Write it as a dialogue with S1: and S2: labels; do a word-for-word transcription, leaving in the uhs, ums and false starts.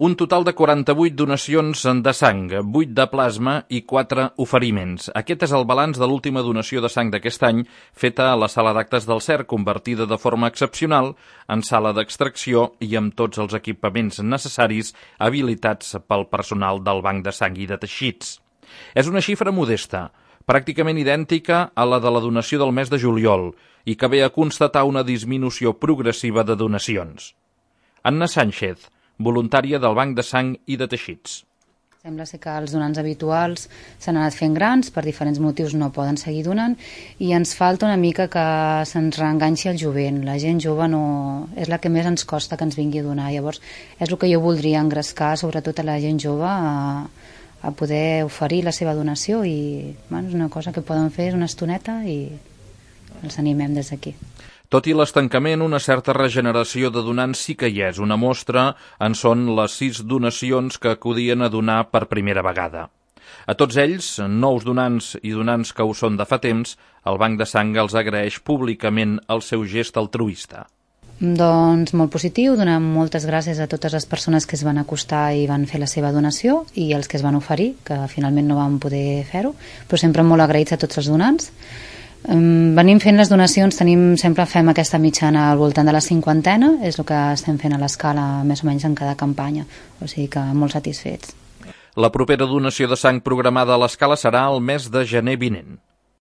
S1: Un total de quaranta-vuit donacions de sang, vuit de plasma i quatre oferiments. Aquest és el balanç de l'última donació de sang d'aquest any, feta a la sala d'actes del C E R, convertida de forma excepcional en sala d'extracció i amb tots els equipaments necessaris habilitats pel personal del Banc de Sang i de Teixits. És una xifra modesta, pràcticament idèntica a la de la donació del mes de juliol i que ve a constatar una disminució progressiva de donacions. Anna Sánchez, voluntària del Banc de Sang i de Teixits.
S2: Sembla ser que els donants habituals s'han anat fent grans, per diferents motius no poden seguir donant, i ens falta una mica que se'ns reenganxi el jovent. La gent jove no és la que més ens costa que ens vingui a donar. Llavors, és el que jo voldria engrescar, sobretot a la gent jove, a, a poder oferir la seva donació, i bueno, és una cosa que poden fer, és una estoneta, i els animem des d'aquí.
S1: Tot i l'estancament, una certa regeneració de donants sí que hi és. Una mostra en són les sis donacions que acudien a donar per primera vegada. A tots ells, nous donants i donants que ho són de fa temps, el Banc de Sang els agraeix públicament el seu gest altruista.
S2: Doncs molt positiu, donem moltes gràcies a totes les persones que es van acostar i van fer la seva donació, i els que es van oferir, que finalment no van poder fer-ho, però sempre molt agraïts a tots els donants. Um, venim fent les donacions, tenim, sempre fem aquesta mitjana al voltant de la cinquantena, és el que estem fent a l'escala més o menys en cada campanya, o sigui que molt satisfets.
S1: La propera donació de sang programada a l'escala serà el mes de gener vinent.